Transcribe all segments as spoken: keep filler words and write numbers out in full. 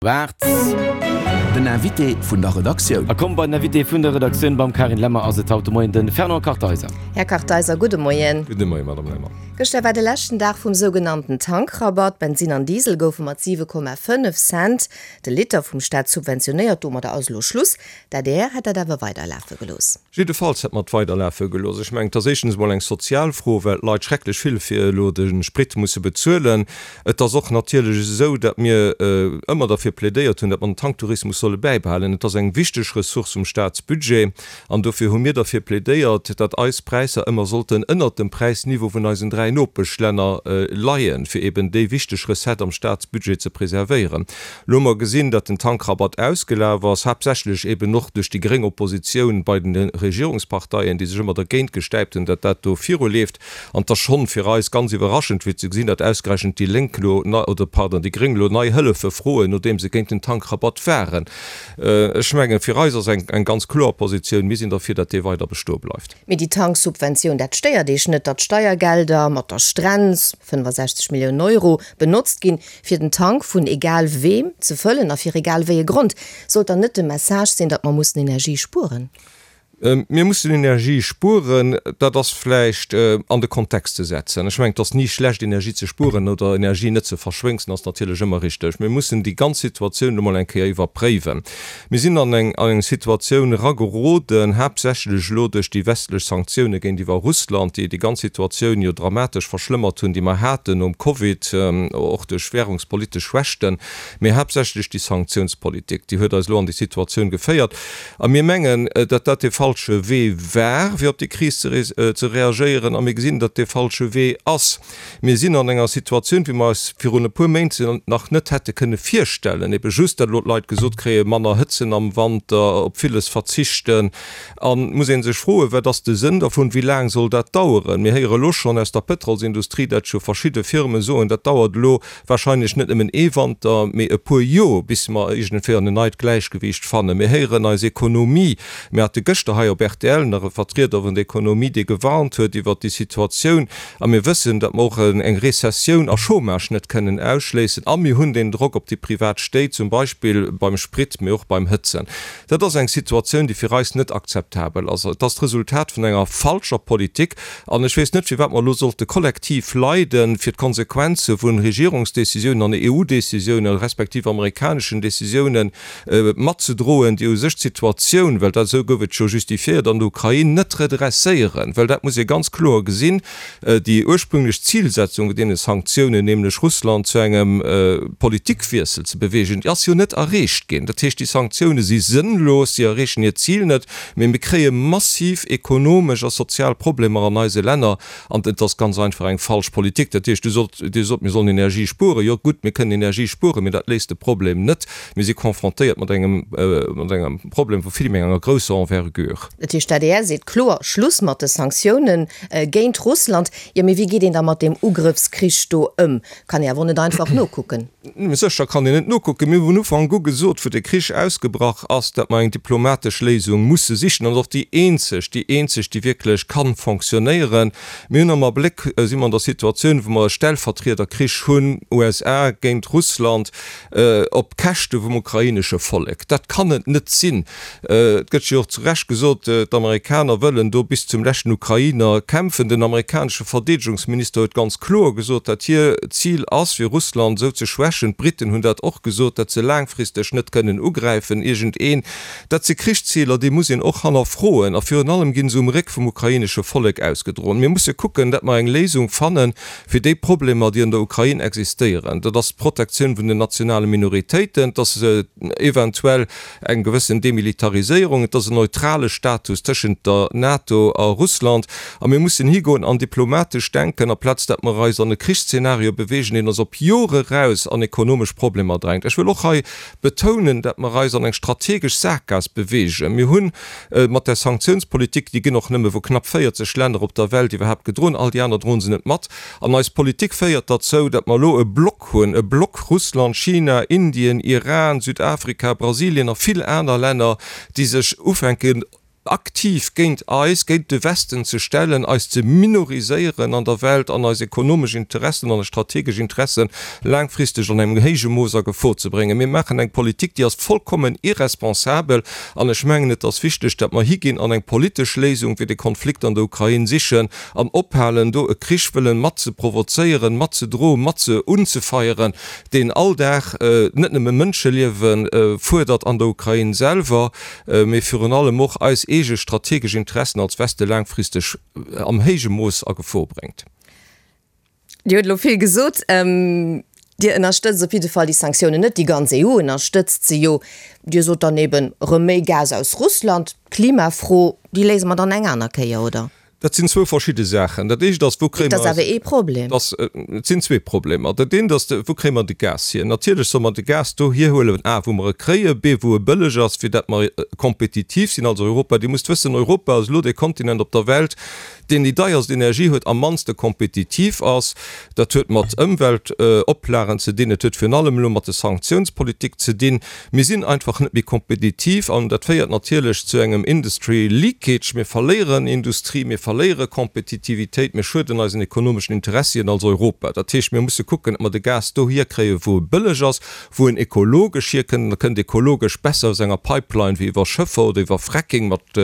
Waart. Den Invité vun der Redaktioun. A komm bei den Invité vun der Redaktioun. Beim Carine Lemmer ass et haut de Moien de Fernand Kartheiser. Här Kartheiser, gudde Moien. Gudde Moien, Madame Lemmer. Gëschter war de leschten Dag vum sougenannten Tankrabatt. Bensin an Diesel goufe mat siwe Komma fënnef Cent de Liter vum Staat subventionéiert. Domadder ass elo Schluss. D'adr hätt dat awer weiderlafe gelooss. Jiddefalls hätt mer et weiderlafe gelooss. Ech mengen, et ass éischtens emol eng sozial Fro, well d'Leit schrecklech vill fir elo de Sprit musse bezuelen. Et ass och natierlech esou, datt mir ëmmer derfir plädéiert hunn, datt mer den Tanktourismus solle bäibehalen. Et ass eng wichteg Ressource um Staatsbudget an dofir hu mir derfir plädéiert, datt eis Präisser ëmmer sollten ënnert dem Präisniveau vun eisen dräi Nopeschlänner leien, fir eben déi wichteg Recette am Staatsbudget ze preservéieren. Elo hu mer gesinn, datt den Tankrabatt ausgelaf ass, haaptsächlech eben och duerch déi gréng Oppositioun bei de Regierungsparteien, déi sech ëmmer dergéint gestäipt hunn, datt dat do viruleeft. An et ass schonn fir eis ganz iwwerraschend, fir ze gesinn, datt ausgerechent déi Lénk elo, oder pardon, déi Gréng elo nei Hëllefe froen, nodeem se géint den Tankrabatt waren. Ech mengen, fir eis ass eng eng ganz kloer Positioun, Mir sinn derfir, datt dee weider bestoe bleift. Mee déi Tanksubventioun, dat stéiert Iech net, datt Steiergelder mat der Strenz, fënnefasechzeg Milliounen Euro, benotzt ginn, fir den Tank vun egal weem ze fëllen a fir egal wéi e Grond? Sollt dann net de Message sinn, datt mer mussen Energie spueren? Mir mussen Energie spueren, dat ass vläicht an de Kontext ze setzen. Ech mengen, et ass ni schlecht, Energie ze spueren oder Energie net ze verschwéngsen, ass natierlech ëmmer richteg. Mir mussen déi ganz Situatioun elo mol eng Kéier iwwerpréiwen. Mir sinn an eng an eng Situatioun erageroden, haaptsächlech elo duerch déi westlech Sanktioune géintiwwer Russland, déi déi ganz Situatioun jo dramatesch verschlëmmert hunn, déi mer haten nom Covid, och duerch währungspolitesch Schwächten, mee haaptsächlech déi Sanktiounspolitik, déi huet eis elo an déi Situatioun geféiert. A mir mengen, datt dat dee falsche Wee war, fir op déi Kris ze reagéieren, a mir gesinn, datt dee falsche Wee ass. Mir sinn an enger Situatioun, wéi mer eis virun e puer Méint nach net hätte kënne virstellen, ebe just, datt elo d'Leit gesot kréien, manner hëtzen am Wanter, op villes verzichten. A muss ee sech froen, Wat ass de Sënn dervun? Wéi laang soll dat daueren? Mir héiere elo schonn aus der Pëtrolsindustrie, datt scho verschidde Firme soen, dat dauert elo wahrscheinlech net nëmmen ee Wanter, mee e puer Joer, bis mer iergendwéi an en neit Gläichgewiicht fannen. Mir héieren eis Ekonomie, mir hate gëschter hei op rtl nach e Vertrieder vun der Ekonomie, dee gewarnt huet iwwert déi Situatioun. A mir wëssen, datt mer och eng Rezessioun a Chômage net kënnen ausschléissen. A mir hunn deen Drock op déi privat Stéit, zum Beispill beim Sprit, mee och beim Hëtzen. Dat ass eng Situatioun, déi fir eis net akzeptabel ass. Et ass d'Resultat vun enger falscher Politik. An ech weess net, firwat mer elo sollte kollektiv leiden, fir d'Konsequenze vu Regierungsdécisiounen an E U-Décisiounen respektiv amerikaneschen Décisiounen matzedroen, déi u sech d'Situatioun, well dat esou gouf et jo justifiéiert, an der Ukrain net redresséieren. Well dat muss ee ganz kloer gesinn, déi ursprünglech Zilsetzung vun deene Sanktiounen, nämlech Russland zu engem Politikwiessel ze beweegen, déi ass jo net erreecht ginn. Dat heescht, déi Sanktioune si sënnlos, si erreechen hiert Zil net, mee mir kréie massiv ekonomesch a sozial Problemer an eise Länner. An et ass ganz einfach eng falsch Politik. Dat heescht, Dir sot, mir sollen Energie spueren. Jo gutt, mir kënnen Energie spueren, mee dat léist de Problem net. Mir si confrontéiert mat engem, mat engem Problem vu vill méi enger grousser Envergure. Dat heescht, d'ADR seet kloer Schluss mat de Sanktioune géint Russland. Jo, mee wéi geet een da mat deem Ugrëffskrich do ëm? Kann ee awer och net einfach nokucken. Sécher kann een net nokucken. Mir hu vun Ufank u gesot, wou de Krich ausgebrach ass, datt mer eng diplomatesch Léisung musse sichen. An och déi eenzeg, déi eenzeg, déi wierklech ka fonctionnéieren. Mir hunn am Abléck, si mer an der Situatioun, wou mer e Stellvertriederkrich hunn, U S A géint Russland, op Käschte vum ukrainesche Vollek. Dat kann et net sinn. Et gëtt jo och zu Recht gesot, d'Amerikaner wëllen do bis zum leschten Ukrainer kämpfen. Den amerikanesche Verdeedegungsminister huet ganz kloer gesot, datt hir Zil ass, fir Russland esou ze schwächen, d'Briten hunn dat och gesot, datt se laangfristeg net kënnen ugräifen iergendeen. Dat si Krichsziler, déi muss een och hannerfroen. A virun allem gi se um Réck vum ukrainesche Vollek ausgedroen. Mir musse kucken, datt mer eng Léisung fanne fir déi Problemer, déi an der Ukrain existéieren. Dat ass d'Protektioun vun den nationale Minoritéiten, et ass eventuell eng gewëssen Demilitariséierung, et ass en neutrale Status tëschent der NATO a Russland. A mir mussen higoen an diplomatesch denken, aplaz datt mer eis an e Krichsszenario beweegen, deen eis op Jore eraus an ekonomesch Problemer drängt. Ech wëll och hei betounen, datt mer eis an eng strategesch Saakgaass beweegen. Mir hu mat där Sanktiounspolitik, déi ginn och nëmme vu knapp véierzeg Länner op der Welt iwwerhaapt gedroen, all déi aner droen se net mat, an eis Politik féiert derzou, datt mer elo e Block hunn, e Block Russland, China, Indien, Iran, Südafrika, Brasilien a vill aner Länner, déi sech ufänken, aktiv géint eis, géint de Westen ze stellen, eis ze minoriséieren an der Welt an eis ekonomesch Interessen an eis strategesch Interessen laangfristeg an engem héije Mooss a Gefor ze bréngen. Mir maachen eng Politik, déi ass vollkommen irresponsabel an ech mengen, et ass wichteg, datt mer higinn an eng politesch Léisung fir de Konflikt an der Ukrain sichen an ophalen, do e Krich wëllen mat ze provozéieren, mat ze droen, mat ze unzefeieren, deen all Dag net nëmme Mënscheliewe fuerdert an der Ukrain selwer, mee virun allem och eis eege strategesch Interessen als Weste laangfristeg am héije Mooss a Gefor bréngt. Dir hutt elo vill gesot. Dir ënnerstëtzt op jidde Fall déi Sanktiounen net, déi ganz E U ënnerstëtzt se jo. Dir sot dann eben, erëm méi Gas aus Russland. D'Klimafro, déi léise mer dann eng aner Kéier, oder? Dat sinn zwou verschidde Saachen. Dat éischt ass, wou kréie mer. Dat ass awer ee Problem. Dat, et sinn zwee Problemer. Dat eent ass, wou kréie mer de Gas hier? Natierlech solle mer de Gas do hierhuelen, a wou mer e kréien, b wou e bëlleg ass, fir dat mer kompetitiv sinn als Europa. Dir musst wëssen, Europa ass elo dee Kontinent op der Welt, deen déi deierst Energie huet, am mannste kompetitiv ass. Dat huet mat Ëmweltoplagen ze dinn, et huet virun allem elo mat de Sanktiounspolitik ze dinn. Mir sinn einfach net méi kompetitiv an dat féiert natierlech zu engem Industry leakage. Mir verléieren Industrie, mir verléiere Kompetitivitéit, mir schueden eisen ekonomeschen Interessien als Europa. Dat heescht, mir musse kucken, datt mer de Gas do hierkréien, wou e bëlleg ass, wou en ekologesch hierkënnt. En kënnt ekologesch besser aus enger Pipeline wéi iwwer Schëffer oder iwwer Fracking mat,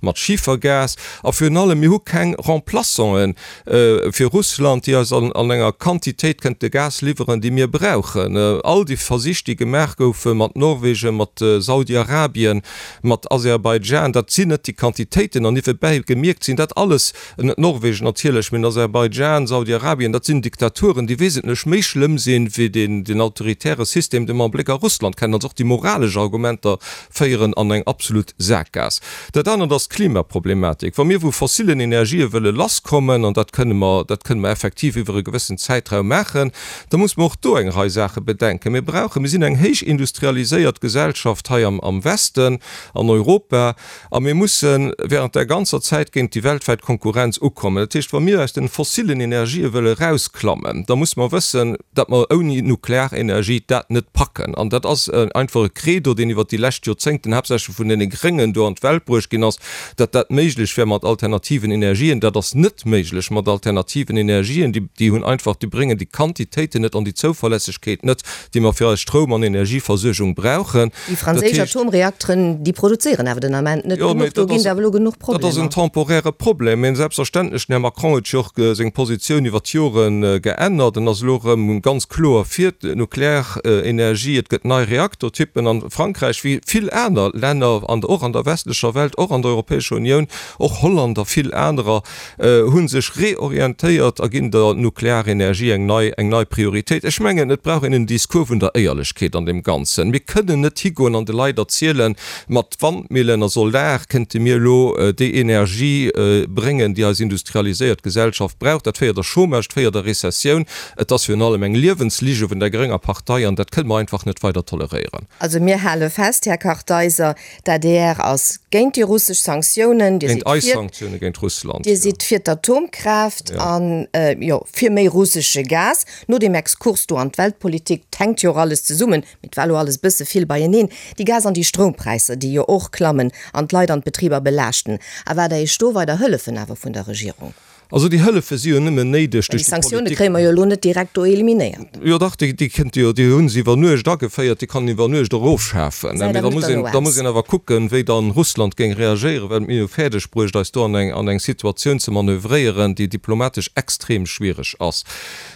mat Schifergas. A virun allem, mir hu keng Remplaçanten fir Russland, déi eis an enger Quantitéit kënnte Gas liwweren, déi mir brauchen. All déi Versich, déi gemaach goufe mat Norwegen, mat Saudi-Arabien, mat Aserbaidschan, dat sinn net déi Quantitéiten. An niewebäi gemierkt sinn dat alles, net Norwegen natierlech, mä Aserbaidschan, Saudi-Arabien, dat sinn Diktaturen, déi wesentlech méi schlëmm sinn, wéi deen autoritäre System, dee mer am Bléck a Russland kennen. Also och déi moralesch Argumenter féieren an eng absolut Sakgaass. Dat anert ass d'Klimaproblematik. Wa mir vu fossilen Energië wëlle lasskommen, an dat kënne mer, dat kënne mer effektiv iwwer e gewëssen Zäitraum maachen, da muss mer och do eng Rei Saache bedenken. Mir brauchen, mir sinn eng héich industrialiséiert Gesellschaft hei am, am Westen, an Europa, a mir musse während där ganzer Zäit géint déi weltwäit Konkurrenz ukommen. Dat heescht, wa mir aus den fossilen Energië wëlle erausklammen, da muss mer wëssen, datt mer ouni Nuklearenergie dat net packen. An dat ass einfach e Credo, deen iwwert déi lescht Joerzéngten haaptsächlech vun deene Gréngen do an d'Welt bruecht ginn ass, datt dat méiglech wär mat alternativen Energien. Dat ass net méiglech mat alternativen Energien. Déi, déi hunn einfach, déi bréngen déi Quantitéiten net an déi Zouverlässegkeet net, déi mer fir eis Stroum an Energieversuergung brauchen. Déi franséisch Atomreakteren, déi produzéieren awer den Ament net genuch. Do ginn et awer elo genuch Problemer. Dat ass en temporäre Problem. Mä selbstverständlech, den Här Macron huet jo och seng Positioun iwwer d'Jore geännert. En ass elo erëm ganz kloer fir d'Nuklearenergie. Et gëtt nei Reaktortypen. An Frankräich, wéi vill aner Länner, och an der westlecher Welt, och an der Europäescher Unioun, och Holland a vill anerer, hu sech reorientéiert a ginn der Nuklearenergie eng nei, eng nei Prioritéit. Ech mengen, et brauch een en Discours vun der Éierlechkeet an deem Ganzen. Mir kënnen net higoen an de Leit erzielen, mat Wandmillen a Solar kënnte mir elo déi Energie bréngen, déi eis industrialiséiert Gesellschaft brauch. Dat féiert a Chômage, et féiert a Rezessioun. Et ass virun allem eng Liewenslige vun der grénger Partei an dat kënne mer einfach net weider toleréieren. Also mir hale fest, Här Kartheiser, d'A D R ass géint déi russesch Sanktiounen, Dir Géint sidd eis fir, Sanktioune géint Russland, Dir jo. sidd fir d'Atomkraaft Jo. an, jo, fir méi russesche Gas. No deem Exkurs do an d'Weltpolitik, 't hänkt jo och alles zesummen, mee 't war elo alles bësse vill beieneen, déi Gas an déi Stroumpräisser, déi jo och klammen an d'Leit an d'Betriber belaaschten. Erwaart Der Iech do weider Hëllefen awer vun der Regierung? Also déi Hëllefe si jo nëmmen néideg Well déi duerch déi Sanktioune Politik. kréie mer jo elo net direkt do eliminéiert. Jo dach, déi, déi kënnt jo, déi hu se iwwer Nuecht ageféiert, déi kann een iwwer Nuecht och ofschafen. Gesäit Mee da awer net muss een, derno da muss aus. een awer kucken, wéi dann Russland géing reagéieren, well mir hu fäerdeg bruecht, eis do an eng, an eng Situatioun ze manövréieren, déi diplomatesch extrem schwiereg ass.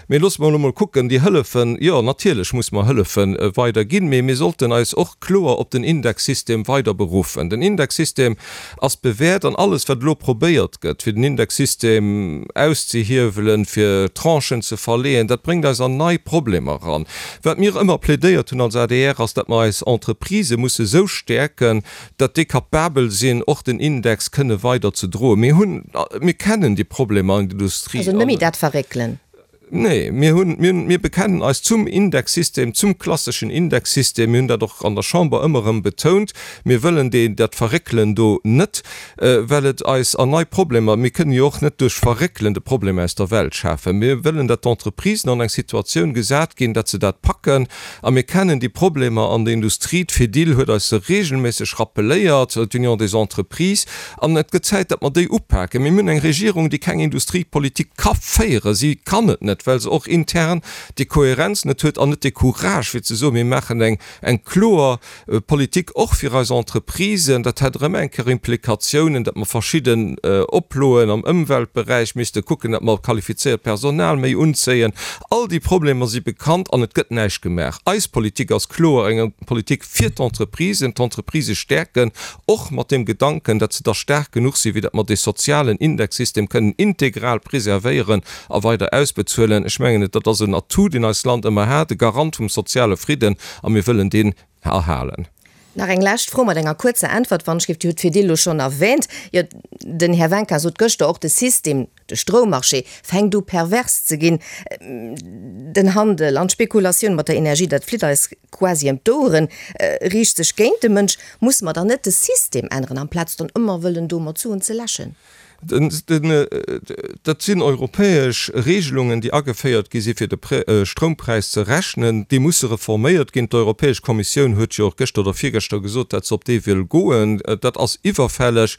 Mee loosse mer elo mol kucken, déi Hëllefen, jo natierlech muss mer Hëllefe weider ginn, mee mir sollten eis och kloer op den Indexsystem weider beruffen. Den Indexsystem ass bewäert an alles wat elo probéiert gëtt, fir den Indexsystem auszehiewelen, fir Tranchen ze verleeën, dat bréngt eis an nei Problemer eran. Wat mir ëmmer plädéiert hunn als A D R ass, datt mer eis Entreprisë musse sou stäerken, datt déi kapabel sinn, och den Index kënne weider ze droen. Mir hunn, mir kennen déi Problemer an der Industrie. Also net méi dat verréckelen. Nee, mir hunn, mir, mir bekennen eis zum Indexsystem, zum klasseschen Indexsystem. Mir hunn dat och an der Chamber ëmmer erëm betount. Mir wëllen deen, dat Verréckelen do net, well et eis an nei Problemer, mir kënnen jo och net duerch Verréckelen de Problem aus der Welt schafen. Mir wëllen, datt d'Entreprisen an eng Situatioun gesat ginn, datt se dat packen. A mir kennen déi Problemer an der Industrie, d'Fedil huet eis se regelméisseg rappeléiert, d'Union des Entreprises. An et gëtt Zäit, datt mer déi upaken. Mir hunn eng Regierung, déi keng Industriepolitik ka féieren. Si kann et net, well se och intern déi Kohärenz net huet an net dee Courage, fir ze soen, mir maachen eng, eng kloer Politik och fir eis Entreprisen. Dat hätt erëm eng Kéier Implikatiounen, datt mer verschidden Oploen am Ëmweltberäich misste kucken, datt mer qualifizéiert Personal méi unzéien. All déi Problemer si bekannt an et gëtt näischt gemaach. Eis Politik ass kloer eng Politik fir d'Entreprisen, d'Entreprisë stäerken, och mat deem Gedanken, datt se da staark genuch sinn, fir datt mer dee sozialen Indexsystem kënnen integral preservéieren a weider ausbezuelen. Ech mengen, dat ass en Atout, deen eist Land ëmmer hat, e Garant vum soziale Fridden, a mir wëllen deen erhalen. Nach eng lescht Fro mat enger kuerzer Äntwert, wann ech géif. Dir hutt d'Fedil elo schonn erwähnt. Jo, den Här Wencker sot gëschter och, de System, de Stroummarché fänkt u pervers ze ginn. Den Handel an d'Spekulatioun mat der Energie, dat flitt eis quasi ëm d'Oueren, riicht sech géint de Mënsch. Musse mer dann net de System änneren, amplaz dann ëmmer wëllen do mat Suen ze läschen? Dat sinn europäesch Regelungen, déi ageféiert gi si fir de Stroumpräis ze rechnen. Déi musse reforméiert ginn. D'Europäesch Kommissioun huet jo och gëschter oder virgëschter gesot, datt se op dee wëll goen. Dat ass iwwerfälleg.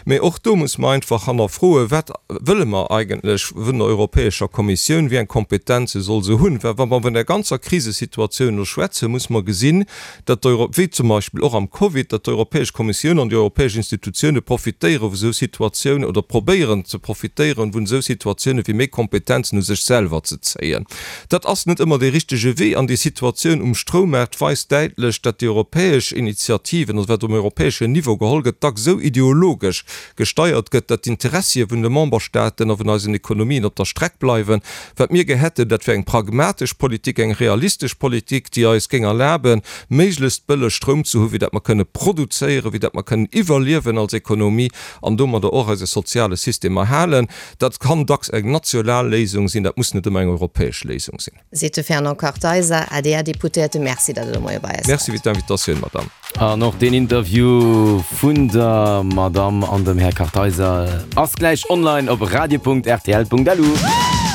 Mee och do muss mer einfach hannerfroen, Wat wëlle mer eigentlech vun der Europäescher Kommissioun? Wéi eng Kompetenze soll se hunn? Well wa mer vun der ganzer Krisesituatioun elo schwätzen, muss mer gesinn, datt d'Euro, wéi zum Beispill och am Covid, datt d'Europäesch Kommissioun an déi europäesch Institutioune profitéiere vu esou Situatiounen oder probéieren ze profitéieren vun esou Situatiounen, fir méi Kompetenzen u sech selwer ze zéien. Dat ass net ëmmer dee richtege Wee an déi Situatioun um Stroummaart weist däitlech, datt déi europäesch Initiativen, also wat um europäeschen Niveau geholl gëtt, dacks esou ideologesch gesteiert gëtt, datt d'Interessie vun de Memberstaaten a vun eisen Ekonomien op der Streck bleiwen. Wat mir gär hätten, dat wär eng pragmatesch Politik, eng realistesch Politik, déi eis géing erlaben, méiglechst bëlleg Stroum ze hu wéi dat mer kënne produzéieren, wéi dat mer kënnen iwwerliewen als Ekonomie an domadder och eise soziale System erhalen. Dat kann dacks eng national Léisung sinn, dat muss net ëmmer eng europäesch Léisung sinn. Seet de Fernand Kartheiser, A D R-Deputéierte. Merci, datt Der de Moie bei eis Merci waart. fir d'Invitatioun, Madame. An och deen Interview vun der Madamm an dem Här Kartheiser ass gläich online op radio Punkt R T L Punkt L U.